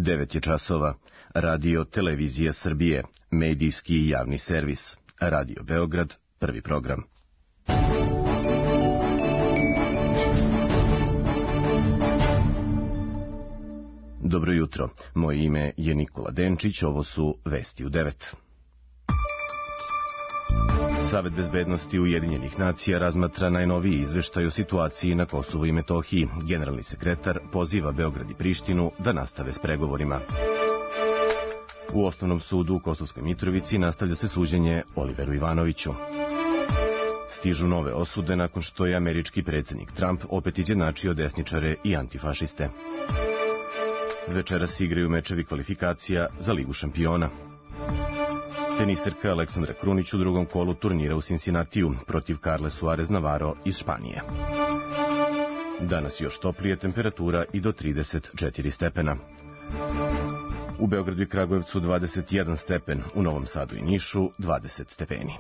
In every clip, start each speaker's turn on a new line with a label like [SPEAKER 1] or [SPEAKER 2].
[SPEAKER 1] 9 je časova. Radio Televizija Srbije, medijski i javni servis. Radio Beograd, prvi program. Dobro jutro, moje ime je Nikola Denčić, ovo su Vesti u 9. Savet bezbednosti Ujedinjenih nacija razmatra najnoviji izveštaj o situaciji na Kosovu i Metohiji. Generalni sekretar poziva Beograd i Prištinu da nastave s pregovorima. U Osnovnom sudu u Kosovskoj Mitrovici nastavlja se suđenje Oliveru Ivanoviću. Stižu nove osude nakon što je američki predsjednik Trump opet izjednačio desničare i antifašiste. Večeras igraju mečevi kvalifikacija za Ligu šampiona. Teniserka Aleksandra Krunić u drugom kolu turnira u Cincinnatiju protiv Carle Suarez Navarro iz Španije. Danas još toplije, temperatura i do 34 stepena. U Beogradu i Kragujevcu 21 stepen, u Novom Sadu i Nišu 20 stepeni.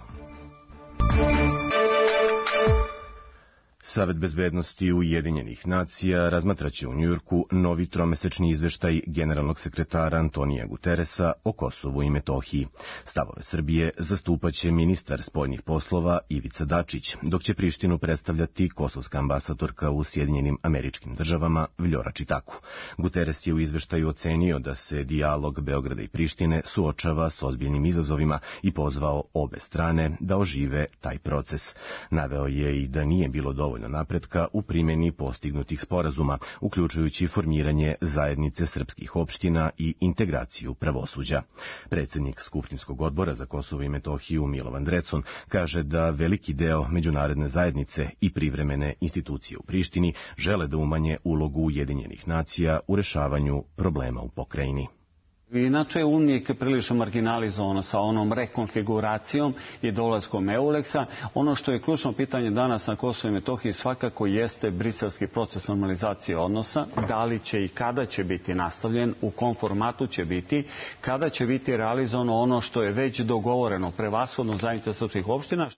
[SPEAKER 1] Savet bezbednosti Ujedinjenih nacija razmatraće u Njujorku novi tromesečni izveštaj generalnog sekretara Antonija Guteresa o Kosovu i Metohiji. Stavove Srbije zastupaće ministar spoljnih poslova Ivica Dačić, dok će Prištinu predstavljati kosovska ambasadorka u Sjedinjenim Američkim Državama Vljora Čitaku. Guteres je u izveštaju ocenio da se dijalog Beograda i Prištine suočava s ozbiljnim izazovima i pozvao obe strane da ožive taj proces. Naveo je i da nije bilo dovoljno napretka u primjeni postignutih sporazuma, uključujući formiranje zajednice srpskih opština i integraciju pravosuđa. Predsjednik Skupštinskog odbora za Kosovo i Metohiju Milovan Drecun kaže da veliki deo međunarodne zajednice i privremene institucije u Prištini žele da umanje ulogu Ujedinjenih nacija u rešavanju problema u pokrajini.
[SPEAKER 2] Inače je uvijek prilično marginalizovano sa onom rekonfiguracijom i dolaskom EULEX-a. Ono što je ključno pitanje danas na Kosovu i Metohiji svakako jeste briselski proces normalizacije odnosa. Da li će i kada će biti nastavljen, u kom formatu će biti, kada će biti realizovano ono što je već dogovoreno, prevashodno zajednica srpskih opština.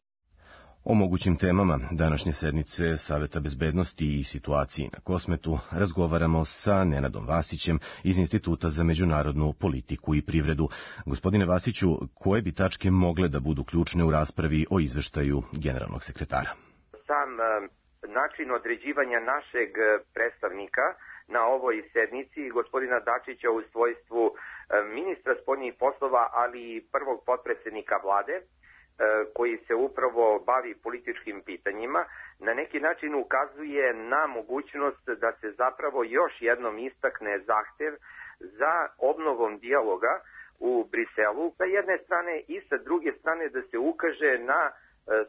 [SPEAKER 1] O mogućim temama današnje sednice Saveta bezbednosti i situaciji na Kosmetu razgovaramo sa Nenadom Vasićem iz Instituta za međunarodnu politiku i privredu. Gospodine Vasiću, koje bi tačke mogle da budu ključne u raspravi o izveštaju generalnog sekretara?
[SPEAKER 3] Sam način određivanja našeg predstavnika na ovoj sednici, gospodina Dačića u svojstvu ministra spoljnih poslova, ali i prvog potpredsjednika vlade, koji se upravo bavi političkim pitanjima, na neki način ukazuje na mogućnost da se zapravo još jednom istakne zahtev za obnovom dijaloga u Briselu sa jedne strane i sa druge strane da se ukaže na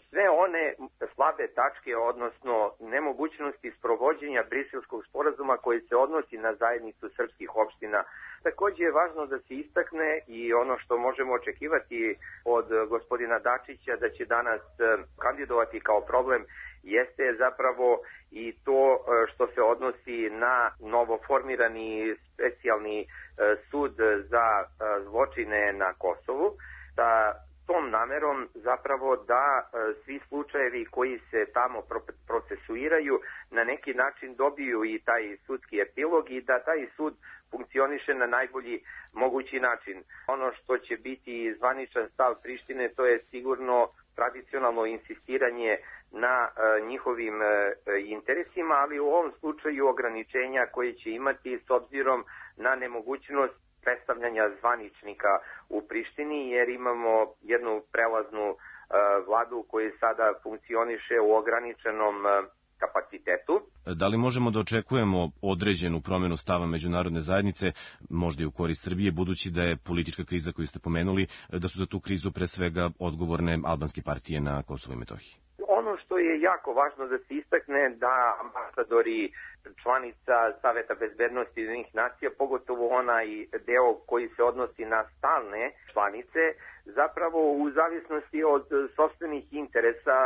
[SPEAKER 3] sve one slabe tačke, odnosno nemogućnosti sprovođenja briselskog sporazuma koji se odnosi na zajednicu srpskih opština. Također je važno da se istakne i ono što možemo očekivati od gospodina Dačića da će danas kandidovati kao problem jeste zapravo i to što se odnosi na novoformirani specijalni sud za zločine na Kosovu, da tom namerom zapravo da svi slučajevi koji se tamo procesuiraju na neki način dobiju i taj sudski epilog i da taj sud funkcioniše na najbolji mogući način. Ono što će biti zvaničan stav Prištine, to je sigurno tradicionalno insistiranje na njihovim interesima, ali u ovom slučaju ograničenja koje će imati s obzirom na nemogućnost predstavljanja zvaničnika u Prištini, jer imamo jednu prelaznu vladu koja sada funkcioniše u ograničenom kapacitetu.
[SPEAKER 1] Da li možemo da očekujemo određenu promjenu stava međunarodne zajednice, možda i u korist Srbije, budući da je politička kriza koju ste pomenuli, da su za tu krizu pre svega odgovorne albanske partije na Kosovu i Metohiji?
[SPEAKER 3] Ono što je jako važno da se istakne da ambasadori članica Saveta bezbednosti Ujedinjenih nacija, pogotovo onaj deo koji se odnosi na stalne članice, zapravo u zavisnosti od sopstvenih interesa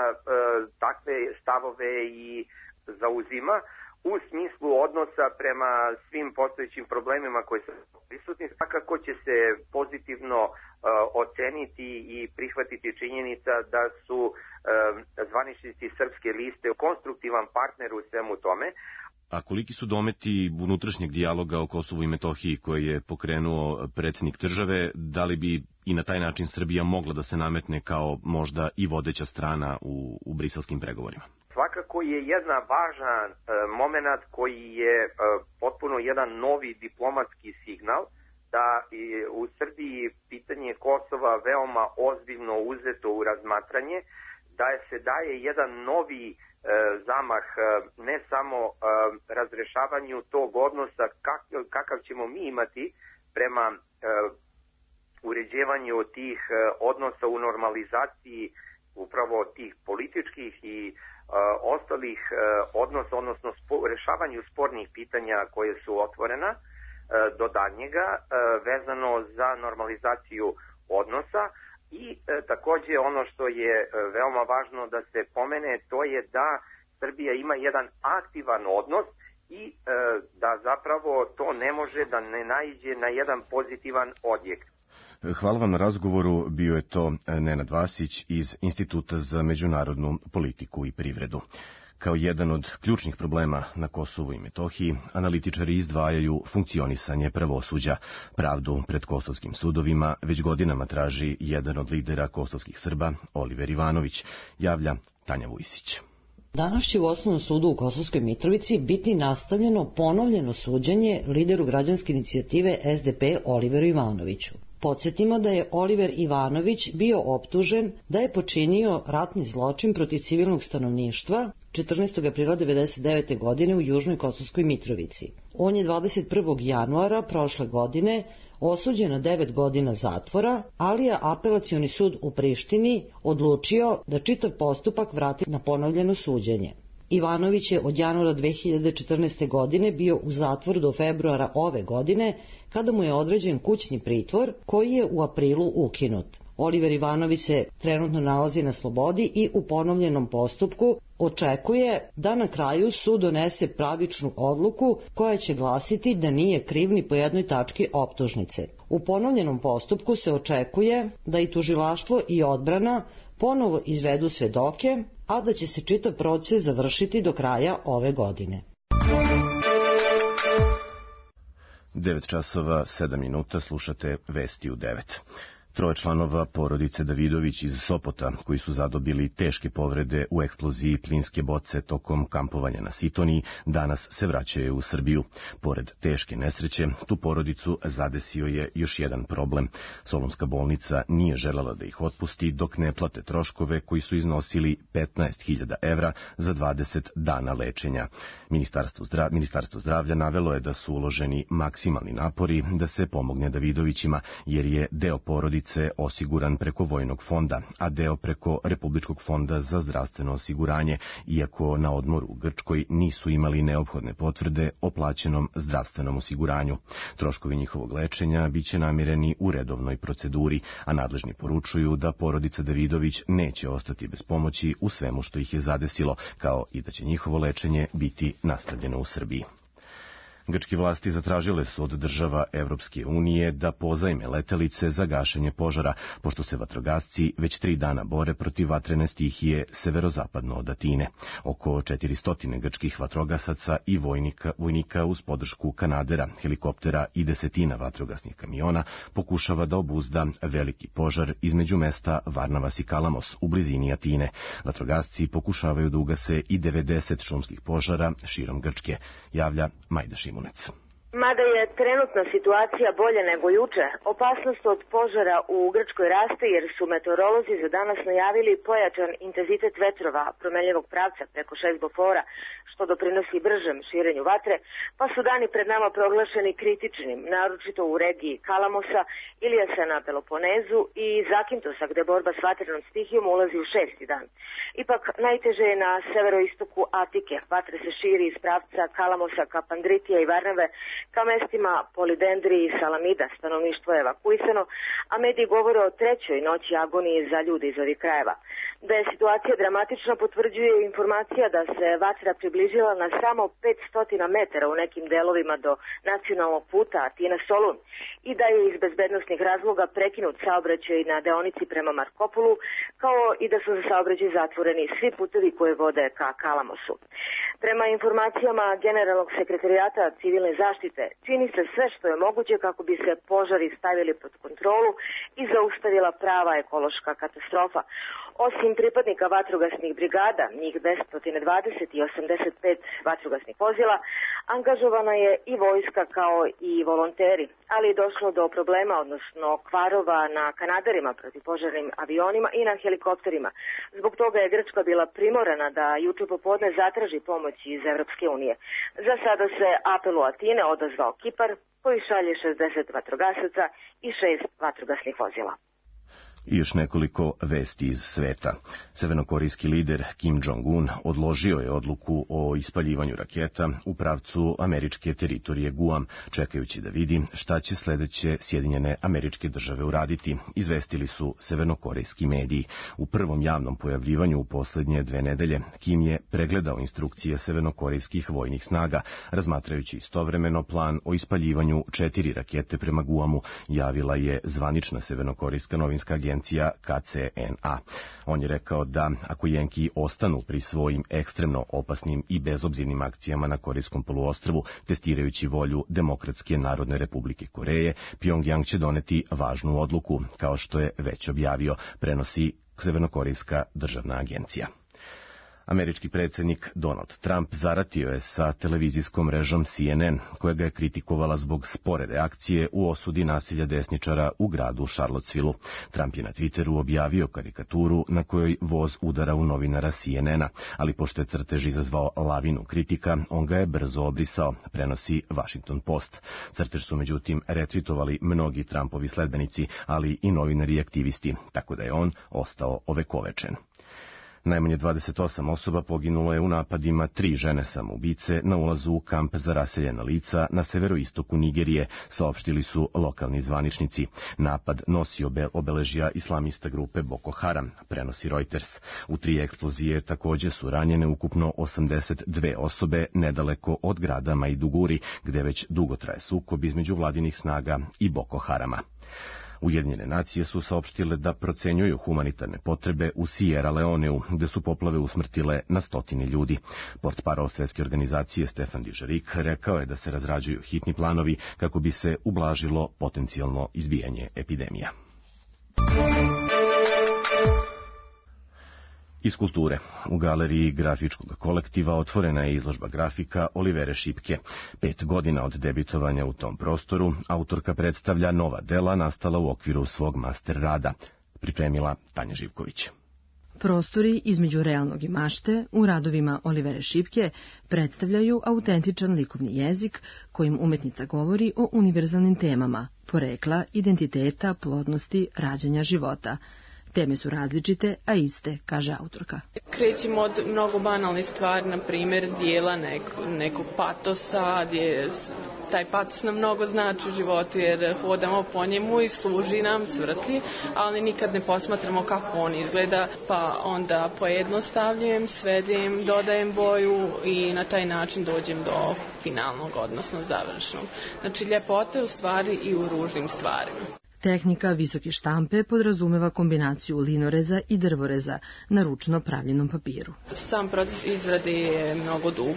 [SPEAKER 3] takve stavove i zauzima u smislu odnosa prema svim postojećim problemima koji su prisutni. Svakako će se pozitivno oceniti i prihvatiti činjenica da su zvaničnici srpske liste konstruktivan partner u svemu tome.
[SPEAKER 1] A koliki su dometi unutrašnjeg dijaloga o Kosovu i Metohiji koje je pokrenuo predsjednik države, da li bi i na taj način Srbija mogla da se nametne kao možda i vodeća strana u briselskim pregovorima?
[SPEAKER 3] Svakako je jedna važan moment koji je potpuno jedan novi diplomatski signal da je u Srbiji pitanje Kosova veoma ozbiljno uzeto u razmatranje, da se daje jedan novi zamah ne samo razrešavanju tog odnosa kakav ćemo mi imati prema uređivanju tih odnosa u normalizaciji upravo tih političkih i ostalih odnosa, odnosno rešavanju spornih pitanja koje su otvorena do daljnjega vezano za normalizaciju odnosa. I takođe ono što je veoma važno da se pomene, to je da Srbija ima jedan aktivan odnos i da zapravo to ne može da ne naiđe na jedan pozitivan odjek.
[SPEAKER 1] Hvala vam na razgovoru. Bio je to Nenad Vasić iz Instituta za međunarodnu politiku i privredu. Kao jedan od ključnih problema na Kosovu i Metohiji, analitičari izdvajaju funkcionisanje pravosuđa. Pravdu pred kosovskim sudovima već godinama traži jedan od lidera kosovskih Srba, Oliver Ivanović, javlja Tanja Vujsić.
[SPEAKER 4] Danas će u Osnovnom sudu u Kosovskoj Mitrovici biti nastavljeno ponovljeno suđenje lideru građanske inicijative SDP Oliveru Ivanoviću. Podsjetimo da je Oliver Ivanović bio optužen da je počinio ratni zločin protiv civilnog stanovništva 14. aprila 1999. godine u Južnoj Kosovskoj Mitrovici. On je 21. januara prošle godine osuđen na 9 godina zatvora, ali je apelacioni sud u Prištini odlučio da čitav postupak vrati na ponovljeno suđenje. Ivanović je od januara 2014. godine bio u zatvoru do februara ove godine, kada mu je određen kućni pritvor koji je u aprilu ukinut. Oliver Ivanović se trenutno nalazi na slobodi i u ponovljenom postupku očekuje da na kraju sud donese pravičnu odluku koja će glasiti da nije kriv ni po jednoj tački optužnice. U ponovljenom postupku se očekuje da i tužilaštvo i odbrana ponovo izvedu svedoke, a da će se čitav proces završiti do kraja ove godine.
[SPEAKER 1] 9 časova 7 minuta, slušate Vesti u 9. 3 članova porodice Davidović iz Sopota, koji su zadobili teške povrede u eksploziji plinske boce tokom kampovanja na Sitoniji, danas se vraćaju u Srbiju. Pored teške nesreće, tu porodicu zadesio je još jedan problem. Solunska bolnica nije želela da ih otpusti dok ne plate troškove koji su iznosili 15.000 evra za 20 dana lečenja. Ministarstvo zdravlja navelo je da su uloženi maksimalni napori da se pomogne Davidovićima, jer je deo porodice osiguran preko Vojnog fonda, a deo preko Republičkog fonda za zdravstveno osiguranje, iako na odmoru u Grčkoj nisu imali neophodne potvrde o plaćenom zdravstvenom osiguranju. Troškovi njihovog lečenja biće namireni u redovnoj proceduri, a nadležni poručuju da porodica Davidović neće ostati bez pomoći u svemu što ih je zadesilo, kao i da će njihovo lečenje biti nastavljeno u Srbiji. Grčke vlasti zatražile su od država Evropske unije da pozajme letelice za gašenje požara, pošto se vatrogasci već 3 dana bore protiv vatrene stihije severozapadno od Atine. Oko 400 grčkih vatrogasaca i vojnika uz podršku kanadera, helikoptera i desetina vatrogasnih kamiona pokušava da obuzda veliki požar između mesta Varnavas i Kalamos u blizini Atine. Vatrogasci pokušavaju da ugase i 90 šumskih požara širom Grčke, javlja Majda Šimunec.
[SPEAKER 5] Mada je trenutna situacija bolja nego juče, opasnost od požara u Grčkoj raste jer su meteorolozi za danas najavili pojačan intenzitet vetrova promenljivog pravca preko 6 bofora, što doprinosi bržem širenju vatre, pa su dani pred nama proglašeni kritičnim, naročito u regiji Kalamosa, Ilijasa na Peloponezu i Zakintosa, gde borba s vatrenom stihijom ulazi u 6. dan. Ipak najteže je na severoistoku Atike. Vatre se širi iz pravca Kalamosa ka Pandritija i Varnave ka mestima Polidendri i Salamida. Stanovništvo je evakuisano, a mediji govore o 3. noći agonije za ljude iz ovih krajeva. Da je situacija dramatična potvrđuje informacija da se vatra približila na samo 500 metara u nekim delovima do nacionalnog puta Atina-Solun i da je iz bezbednosnih razloga prekinut saobraćaj na deonici prema Markopolu, kao i da su za saobraćaj zatvoreni svi putevi koje vode ka Kalamosu. Prema informacijama Generalnog sekretarijata civilne zaštite, čini se sve što je moguće kako bi se požari stavili pod kontrolu i zaustavila prava ekološka katastrofa. Osim pripadnika vatrogasnih brigada, njih 220 i 85 vatrogasnih vozila, angažovana je i vojska kao i volonteri, ali je došlo do problema, odnosno kvarova na kanaderima protivpožarnim avionima i na helikopterima. Zbog toga je Grčka bila primorana da juče popodne zatraži pomoć iz Evropske unije. Za sada se apelu Atine odazvao Kipar, koji šalje 60 vatrogasaca i 6 vatrogasnih vozila.
[SPEAKER 1] I još nekoliko vesti iz sveta. Severnokorejski lider Kim Jong-un odložio je odluku o ispaljivanju raketa u pravcu američke teritorije Guam, čekajući da vidi šta će sledeće Sjedinjene Američke Države uraditi, izvestili su severnokorejski mediji. U prvom javnom pojavljivanju u poslednje 2 nedelje Kim je pregledao instrukcije severnokorejskih vojnih snaga, razmatrajući istovremeno plan o ispaljivanju 4 rakete prema Guamu, javila je zvanična severnokorejska novinska agencija KCNA. On je rekao da ako Jenki ostanu pri svojim ekstremno opasnim i bezobzirnim akcijama na Korejskom poluostrvu, testirajući volju Demokratske Narodne Republike Koreje, Pjongjang će doneti važnu odluku, kao što je već objavio, prenosi severnokorejska državna agencija. Američki predsjednik Donald Trump zaratio je sa televizijskom mrežom CNN, koja ga je kritikovala zbog spore reakcije u osudi nasilja desničara u gradu Charlottesville-u. Trump je na Twitteru objavio karikaturu na kojoj voz udara u novinara CNN-a, ali pošto je crtež izazvao lavinu kritika, on ga je brzo obrisao, prenosi Washington Post. Crtež su međutim retvitovali mnogi Trumpovi sledbenici, ali i novinari i aktivisti, tako da je on ostao ovekovečen. Najmanje 28 osoba poginulo je u napadima 3 žene samoubice na ulazu u kamp za raseljena lica na severoistoku Nigerije, saopštili su lokalni zvaničnici. Napad nosi obeležja islamista grupe Boko Haram, prenosi Reuters. U 3 eksplozije takođe su ranjene ukupno 82 osobe nedaleko od grada Maiduguri, gde već dugo traje sukob između vladinih snaga i Boko Harama. Ujedinjene nacije su saopštile da procenjuju humanitarne potrebe u Sierra Leoneu, gde su poplave usmrtile na 100 ljudi. Portparol Svetske organizacije Stefan Dujarric rekao je da se razrađuju hitni planovi kako bi se ublažilo potencijalno izbijanje epidemija. Iz kulture. U galeriji grafičkog kolektiva otvorena je izložba grafika Olivere Šipke. 5 godina od debitovanja u tom prostoru, autorka predstavlja nova dela nastala u okviru svog master rada. Pripremila Tanja Živković.
[SPEAKER 6] Prostori između realnog i mašte u radovima Olivere Šipke predstavljaju autentičan likovni jezik kojim umetnica govori o univerzalnim temama, porekla, identiteta, plodnosti, rađanja života. Teme su različite, a iste, kaže autorka.
[SPEAKER 7] Krećemo od mnogo banalnih stvari, na primjer dijela nekog patosa, gdje taj patos nam mnogo znači u životu jer hodamo po njemu i služi nam svrsi, ali nikad ne posmatramo kako on izgleda, pa onda pojednostavljujem, svedim, dodajem boju i na taj način dođem do finalnog, odnosno završnog. Znači, ljepota je u stvari i u ružnim stvarima.
[SPEAKER 6] Tehnika visoke štampe podrazumeva kombinaciju linoreza i drvoreza na ručno pravljenom papiru.
[SPEAKER 7] Sam proces izrade je mnogo dug.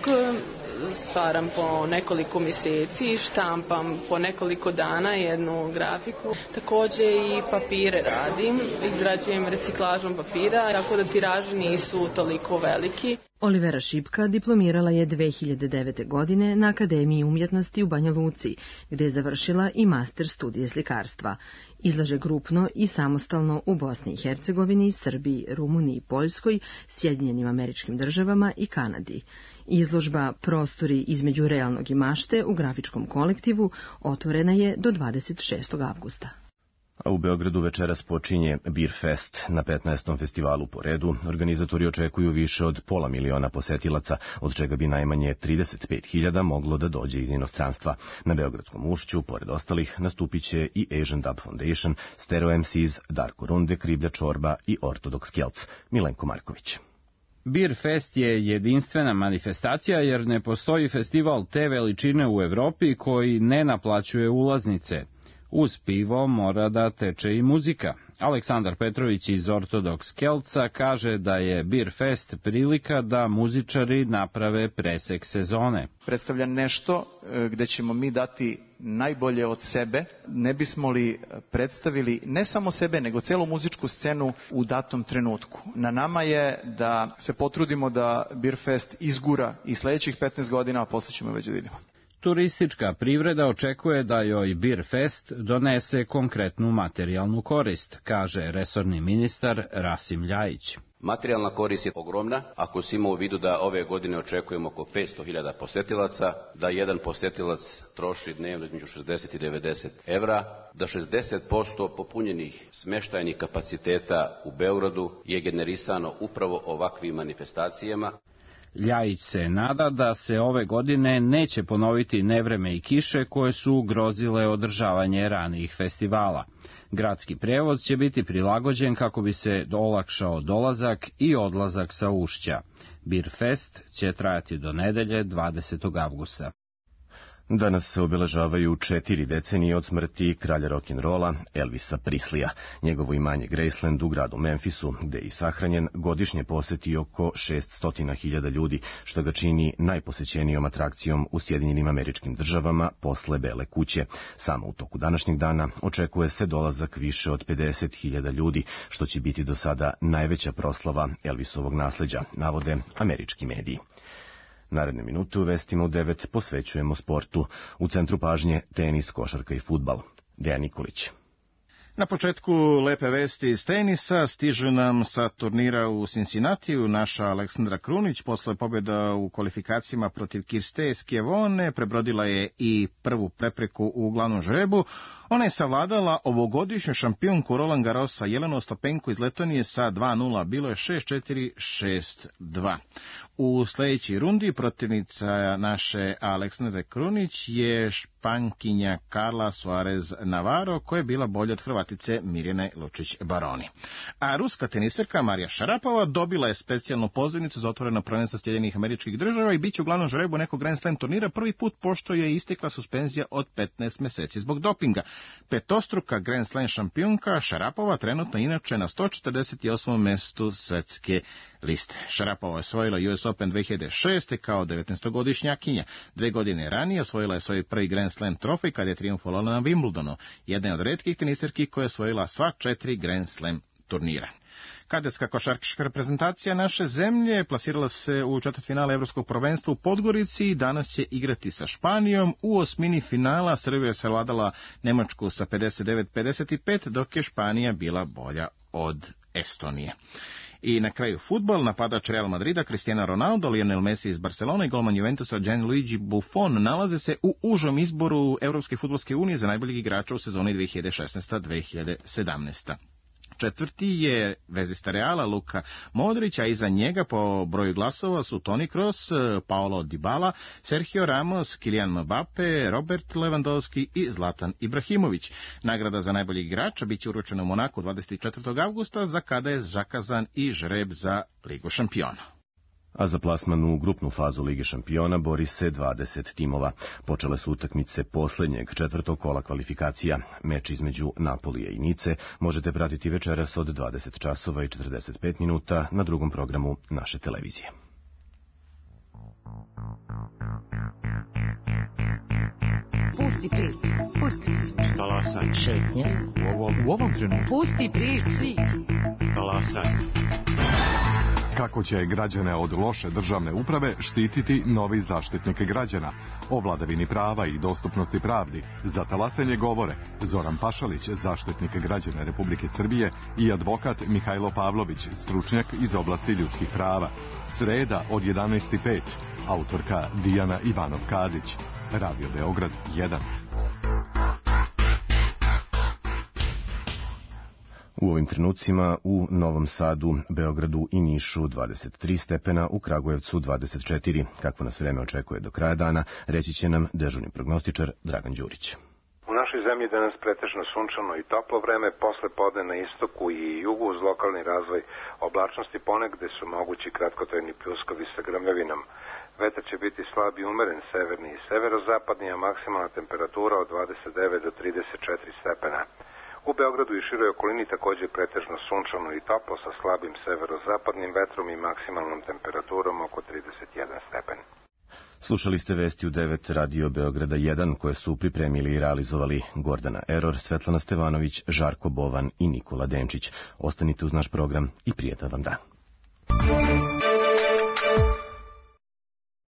[SPEAKER 7] Stvaram po nekoliko mjeseci, štampam po nekoliko dana jednu grafiku. Također i papire radim, izrađujem reciklažom papira, tako da tiraži nisu toliko veliki.
[SPEAKER 6] Olivera Šipka diplomirala je 2009. godine na Akademiji umjetnosti u Banja Luci, gde je završila i master studije slikarstva. Izlaže grupno i samostalno u Bosni i Hercegovini, Srbiji, Rumuniji, Poljskoj, Sjedinjenim Američkim Državama i Kanadi. Izložba Prostori između realnog i mašte u grafičkom kolektivu otvorena je do 26. avgusta.
[SPEAKER 1] A u Beogradu večeras počinje Beer Fest. Na 15. festivalu po redu organizatori očekuju više od 500.000 posetilaca, od čega bi najmanje 35.000 moglo da dođe iz inostranstva. Na Beogradskom ušću, pored ostalih, nastupiće i Asian Dub Foundation, Stereo MCs, Darko Runde, Kriblja Čorba i Ortodoks Kelc. Milenko Marković.
[SPEAKER 8] Beer Fest je jedinstvena manifestacija jer ne postoji festival te veličine u Evropi koji ne naplaćuje ulaznice. Uz pivo mora da teče i muzika. Aleksandar Petrović iz Ortodoks Kelca kaže da je Beer Fest prilika da muzičari naprave presek sezone.
[SPEAKER 9] Predstavlja nešto gde ćemo mi dati najbolje od sebe, ne bismo li predstavili ne samo sebe, nego celu muzičku scenu u datom trenutku. Na nama je da se potrudimo da Beer Fest izgura i sledećih 15 godina, a posle ćemo već da vidimo.
[SPEAKER 8] Turistička privreda očekuje da joj Beer Fest donese konkretnu materijalnu korist, kaže resorni ministar Rasim Ljajić.
[SPEAKER 10] Materijalna korist je ogromna, ako se ima u vidu da ove godine očekujemo oko 500.000 posetilaca, da jedan posetilac troši dnevno između 60 i 90 evra, da 60% popunjenih smeštajnih kapaciteta u Beogradu je generisano upravo ovakvim manifestacijama.
[SPEAKER 8] Ljajić se nada da se ove godine neće ponoviti nevreme i kiše koje su ugrozile održavanje ranijih festivala. Gradski prevoz će biti prilagođen kako bi se olakšao dolazak i odlazak sa ušća. Beer Fest će trajati do nedelje 20. avgusta.
[SPEAKER 1] Danas se obeležavaju 4 decenije od smrti kralja rock'n'rolla Elvisa Preslija. Njegovo imanje Graceland u gradu Memphisu, gde je i sahranjen, godišnje poseti oko 600.000 ljudi, što ga čini najposećenijom atrakcijom u Sjedinjenim Američkim Državama posle Bele kuće. Samo u toku današnjeg dana očekuje se dolazak više od 50.000 ljudi, što će biti do sada najveća proslava Elvisovog nasleđa, navode američki mediji. Naredne minute u vestima u 9 posvećujemo sportu. U centru pažnje tenis, košarka i fudbal. Dejan Nikolić.
[SPEAKER 11] Na početku lepe vesti iz tenisa stižu nam sa turnira u Cincinnatiju. Naša Aleksandra Krunić posle pobjeda u kvalifikacijama protiv Kirste Skjevone prebrodila je i prvu prepreku u glavnom žrebu. Ona je savladala ovogodišnju šampionku Roland Garrosa Jelenu Ostapenko iz Letonije sa 2-0. Bilo je 6-4, 6-2. U sledećoj rundi protivnica naše Aleksandre Krunić je Špankinja Carla Suarez Navarro, koja je bila bolja od Hrvatice Mirjane Lučić-Baroni. A ruska teniserka Marija Šarapova dobila je specijalnu pozivnicu za otvoreno prvenstvo Sjedinjenih Američkih Država i bit će u glavnom žrebu nekog Grand Slam turnira prvi put pošto je istekla suspenzija od 15 meseci zbog dopinga. Petostruka Grand Slam šampionka Šarapova trenutno inače na 148. mestu svetske liste. Šarapova je osvojila US Open 2006. kao 19-godišnjakinja. 2 godine ranije osvojila je svoj prvi Grand Slam trofej kad je trijumfovala na Wimbledonu. Jedna je od retkih teniserki koja je osvojila sva 4 Grand Slam turnira. Kadetska košarkaška reprezentacija naše zemlje plasirala se u četvrtfinale Evropskog prvenstva u Podgorici i danas će igrati sa Španijom. U osmini finala Srbija je savladala Nemačku sa 59-55, dok je Španija bila bolja od Estonije. I na kraju fudbal, napadač Real Madrida Cristiano Ronaldo, Lionel Messi iz Barcelona i golman Juventusa Gianluigi Buffon nalaze se u užom izboru Evropske fudbalske unije za najboljeg igrača u sezoni 2016-2017. Četvrti je vezista Reala Luka Modrić, a iza njega po broju glasova su Toni Kroos, Paolo Dybala, Sergio Ramos, Kylian Mbappe, Robert Lewandowski i Zlatan Ibrahimović. Nagrada za najboljeg igrača biće uručena u Monaku 24. avgusta, za kada je zakazan i žreb za Ligu šampiona.
[SPEAKER 1] A za plasman u grupnu fazu Lige šampiona bori se 20 timova. Počele su utakmice poslednjeg 4. kola kvalifikacija. Meč između Napolija i Nice možete pratiti večeras od 20 časova i 45 minuta na drugom programu naše televizije.
[SPEAKER 12] Pusti prič.
[SPEAKER 13] Talasaj.
[SPEAKER 12] Šetnja.
[SPEAKER 13] U ovom trenutku.
[SPEAKER 12] Pusti prič.
[SPEAKER 13] Talasaj.
[SPEAKER 14] Kako će građane od loše državne uprave štititi novi Zaštitnik građana? O vladavini prava i dostupnosti pravdi za talasanje govore Zoran Pašalić, Zaštitnik građana Republike Srbije, i advokat Mihajlo Pavlović, stručnjak iz oblasti ljudskih prava. Sreda od 11:05, autorka Dijana Ivanov-Kadić. Radio Beograd 1.
[SPEAKER 1] U ovim trenucima u Novom Sadu, Beogradu i Nišu 23 stepena, u Kragujevcu 24. Kakvo nas vreme očekuje do kraja dana, reći će nam dežurni prognostičar Dragan Đurić.
[SPEAKER 15] U našoj zemlji danas pretežno sunčano i toplo vreme, posle podne na istoku i jugu uz lokalni razvoj oblačnosti ponegde su mogući kratkotrajni pljuskovi sa grmljavinom. Vetar će biti slab i umeren severni i severozapadni, a maksimalna temperatura od 29 do 34 stepena. U Beogradu i široj okolini također pretežno sunčano i toplo sa slabim severozapadnim vetrom i maksimalnom temperaturom oko 31 stepen.
[SPEAKER 1] Slušali ste vesti u 9 Radio Beograda 1 koje su pripremili i realizovali Gordana Eror, Svetlana Stevanović, Žarko Bovan i Nikola Denčić. Ostanite uz naš program i prijetan vam dan.